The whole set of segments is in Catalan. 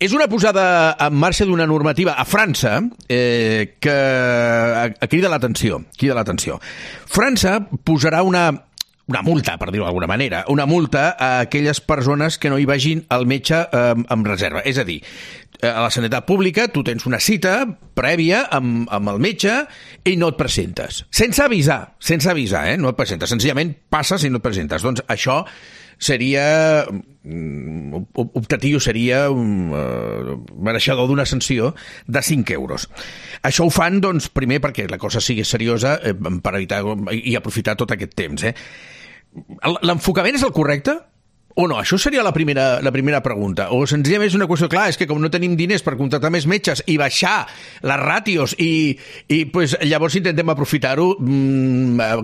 És una posada en marxa d'una normativa a França que crida l'atenció. França posarà una multa, per dir-ho d'alguna manera, una multa a aquelles persones que no hi vagin al metge amb reserva. És a dir, a la sanitat pública tu tens una cita prèvia amb el metge i no et presentes. Sense avisar, no et presentes. Senzillament passes i no et presentes. Doncs això seria optatiu, seria mereixedor d'una sanció de 5 euros. Això ho fan, doncs, primer perquè la cosa sigui seriosa per evitar i aprofitar tot aquest temps. L'enfocament és el correcte? O no? Això seria la primera pregunta. O senzillament és una qüestió, clar, és que com no tenim diners per contractar més metges i baixar les ràtios i pues, llavors intentem aprofitar-ho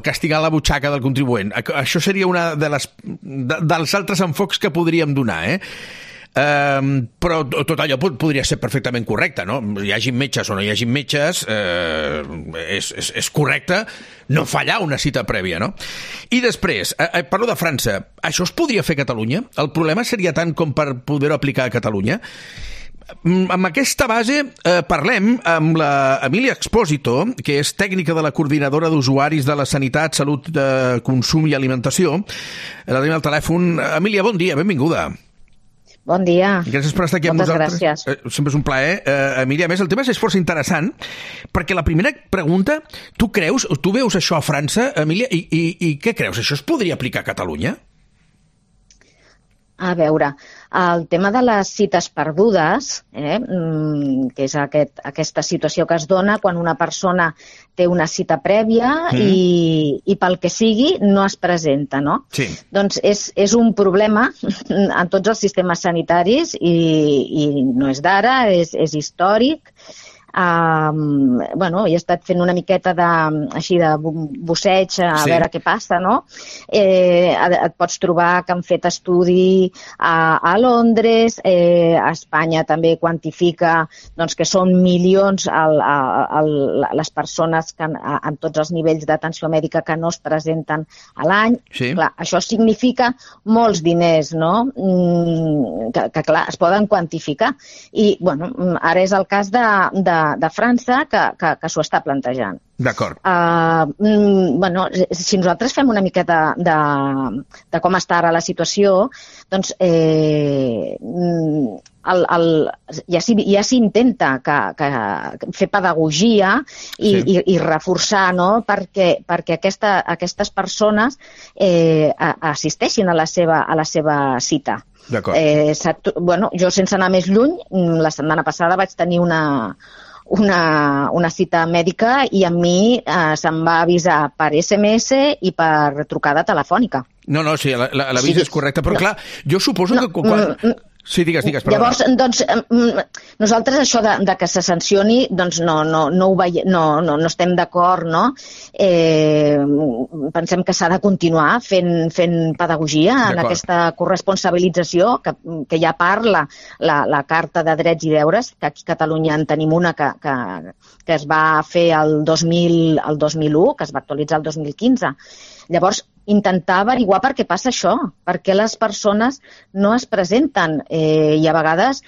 castigant la butxaca del contribuent. Això seria una dels altres enfocs que podríem donar, però tot allò podria ser perfectament correcte, no? Hi hagi metges o no hi hagi metges, és correcte no fallar una cita prèvia, no? I després, parlo de França, això es podria fer a Catalunya? El problema seria tant com per poder-ho aplicar a Catalunya? Amb aquesta base parlem amb la Emília Expósito, que és tècnica de la Coordinadora d'Usuaris de la Sanitat, Salut, Consum i Alimentació. La tenim al telèfon. Emília, bon dia, benvinguda. Bon dia. Gràcies per estar aquí amb nosaltres. Gràcies. Sempre és un plaer. Emília, a més, el tema és força interessant, perquè la primera pregunta, tu veus això a França, Emília, i què creus? Això es podria aplicar a Catalunya? A veure, el tema de les cites perdudes, que és aquesta situació que es dona quan una persona té una cita prèvia i pel que sigui no es presenta, no? Sí. Doncs és un problema en tots els sistemes sanitaris i no és d'ara, és històric. He estat fent una miqueta així de busseig a veure què passa, no? Et pots trobar que han fet estudi a Londres, a Espanya també quantifica que són milions les persones en tots els nivells d'atenció mèdica que no es presenten a l'any. Clar, això significa molts diners, no? Que clar, es poden quantificar. I ara és el cas de França que s'ho està plantejant. D'acord. Si nosaltres fem una miqueta de com està ara la situació, doncs ja s'intenta fer pedagogia i reforçar, no?, perquè aquestes persones assisteixin a la seva cita. Jo, sense anar més lluny, la setmana passada vaig tenir una cita mèdica i a mi se'm va avisar per SMS i per trucada telefònica. No, sí, l'avís és correcte, però clar, jo suposo que quan... Sí, digues, perdona. Llavors, doncs, nosaltres això de que se sancioni, doncs no estem d'acord, no? Pensem que s'ha de continuar fent pedagogia en aquesta corresponsabilització que ja parla la Carta de Drets i Deures, que aquí a Catalunya en tenim una que es va fer el 2001, que es va actualitzar el 2015. Llavors, intentar averiguar per què passa això, per què les persones no es presenten i a vegades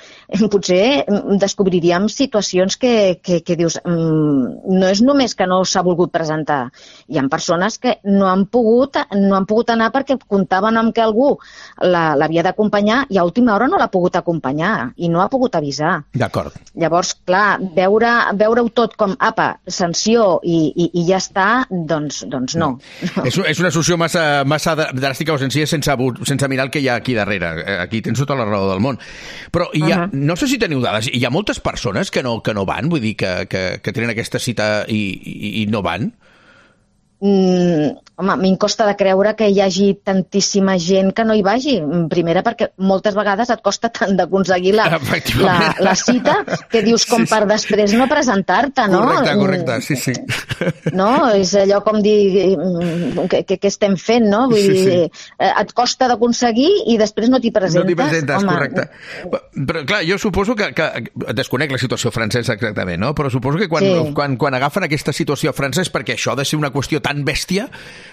potser descobriríem situacions que dius no és només que no s'ha volgut presentar, hi ha persones que no han pogut anar perquè comptaven amb que algú l'havia d'acompanyar i a última hora no l'ha pogut acompanyar i no ha pogut avisar. D'acord. Llavors, clar, veure-ho tot com sanció i ja està, doncs no. És una solució massa dràstica o senzilla sense mirar el que hi ha aquí darrere. Aquí tens tota la raó del món. Però no sé si teniu dades. Hi ha moltes persones que no van? Vull dir, que tenen aquesta cita i no van? Home, m'hi costa de creure que hi hagi tantíssima gent que no hi vagi. Primera, perquè moltes vegades et costa tant d'aconseguir la cita que dius com per després no presentar-te, no? Correcte, sí. No? És allò com dir què estem fent, no? Vull dir, et costa d'aconseguir i després no t'hi presentes. No t'hi presentes, correcte. Però clar, jo suposo que desconec la situació francesa exactament, no? Però suposo que quan agafen aquesta situació a França és perquè això ha de ser una qüestió tan bèstia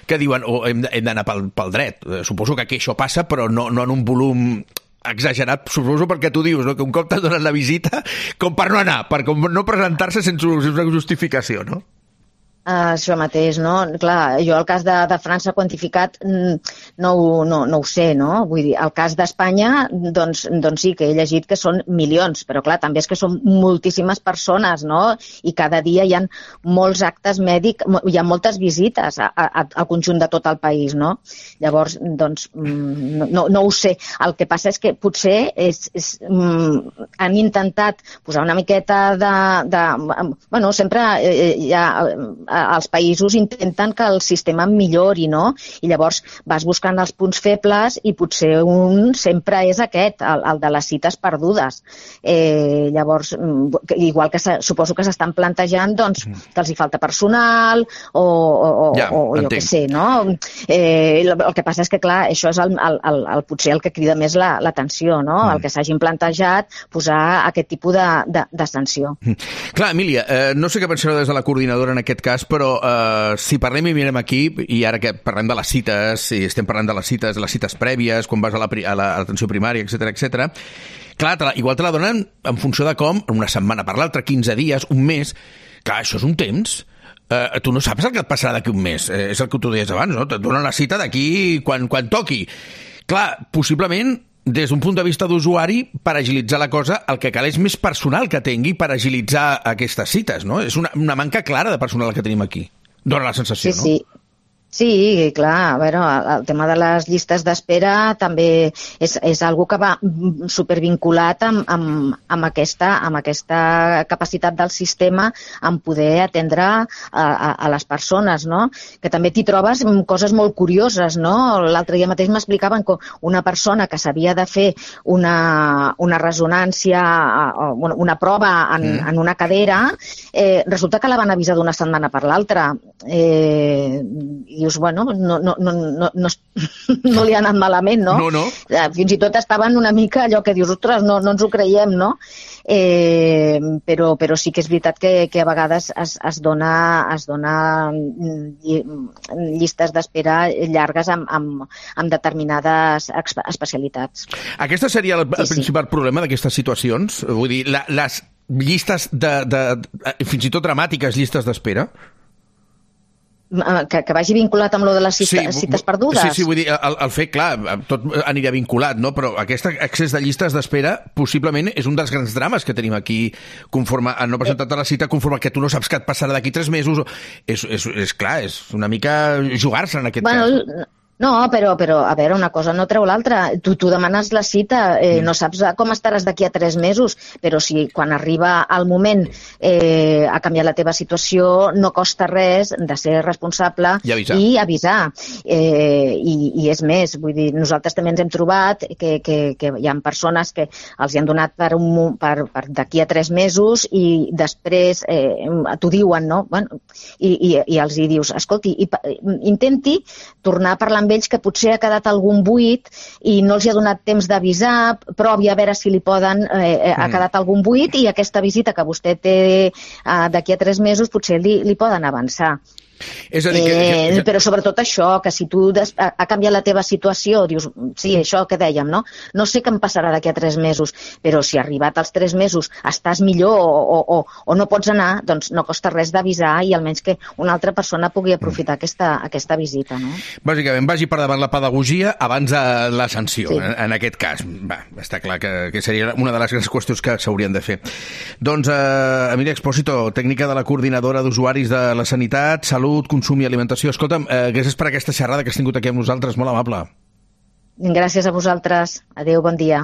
que diuen hem d'anar pel dret. Suposo que aquí això passa, però no en un volum exagerat, suposo perquè tu dius, no? Que un cop t'ha donat la visita, com per no anar, per com no presentar-se sense una justificació, no? Això mateix, no? Clar, jo el cas de França quantificat no ho sé, no? Vull dir, el cas d'Espanya, doncs sí, que he llegit que són milions, però clar, també és que són moltíssimes persones, no? I cada dia hi ha molts actes mèdics, hi ha moltes visites al conjunt de tot el país, no? Llavors, doncs, no ho sé. El que passa és que potser han intentat posar una miqueta bueno, sempre hi ha els països intenten que el sistema millori, no? I llavors vas buscant els punts febles i potser un sempre és aquest, el de les cites perdudes. Llavors, igual que suposo que s'estan plantejant doncs, que els hi falta personal o jo què sé, no? El que passa és que, clar, això és potser el que crida més l'atenció, no? El que s'hagin plantejat posar aquest tipus de sanció. Clar, Emília, no sé què pensareu des de la coordinadora en aquest cas, però si parlem i mirem aquí, i ara que parlem de les cites, i estem parlant de les cites prèvies, quan vas a l'atenció primària, etc, clar, igual te la donen en funció de com, una setmana per l'altra, 15 dies, un mes, clar, això és un temps. Tu no saps el que et passarà d'aquí un mes, és el que tu deies abans, no? Et donen la cita d'aquí quan toqui. Clar, possiblement des d'un punt de vista d'usuari, per agilitzar la cosa, el que cal és més personal que tingui per agilitzar aquestes cites, no? És una manca clara de personal que tenim aquí. Dóna la sensació, no? Sí, clar, a veure, el tema de les llistes d'espera també és algo que va supervinculat amb aquesta capacitat del sistema en poder atendre a les persones, no? Que també t'hi trobes coses molt curioses, no? L'altre dia mateix m'explicaven que una persona que s'havia de fer una ressonància, una prova en una cadera, resulta que la van avisar d'una setmana per l'altra. I dius, bueno, no li ha anat malament, no? No. Fins i tot estaven una mica allò que dius, ostres, no ens ho creiem, no? Però sí que és veritat que a vegades es dona llistes d'espera llargues amb determinades especialitats. Aquesta seria el principal problema d'aquestes situacions? Vull dir, les llistes fins i tot dramàtiques llistes d'espera? Que vagi vinculat amb lo de les cites perdudes? Sí, vull dir, el fet, clar, tot aniria vinculat, no? Però aquest excés de llistes d'espera possiblement és un dels grans drames que tenim aquí conforme a no presentar-te la cita, conforme que tu no saps què et passarà d'aquí 3 mesos. És clar, és una mica jugar-se en aquest cas. No, però a veure, una cosa no treu l'altra. Tu demanes la cita, no saps com estaràs d'aquí a 3 mesos, però si quan arriba el moment ha canviat la teva situació, no costa res de ser responsable i avisar. I és més, vull dir, nosaltres també ens hem trobat que hi ha persones que els hi han donat per d'aquí a 3 mesos i després t'ho diuen, no? Bueno, i els hi dius, escolti, intenti tornar a parlar amb ells que potser ha quedat algun buit i no els hi ha donat temps d'avisar, provi a veure si li poden, ha quedat algun buit i aquesta visita que vostè té d'aquí a 3 mesos potser li poden avançar. És a dir, però sobretot això, que si tu ha canviat la teva situació, dius, sí, això que dèiem, no? No sé què em passarà d'aquí a 3 mesos, però si arribat als 3 mesos estàs millor o no pots anar, doncs no costa res d'avisar i almenys que una altra persona pugui aprofitar aquesta visita, no? Bàsicament, vagi per davant la pedagogia abans de la sanció, sí. En aquest cas. Està clar que seria una de les grans qüestions que s'haurien de fer. Doncs, Emília Expósito, tècnica de la coordinadora d'usuaris de la sanitat, salut, consum i alimentació. Escolta'm, gràcies per aquesta xerrada que has tingut aquí amb nosaltres, molt amable. Gràcies a vosaltres. Adéu, bon dia.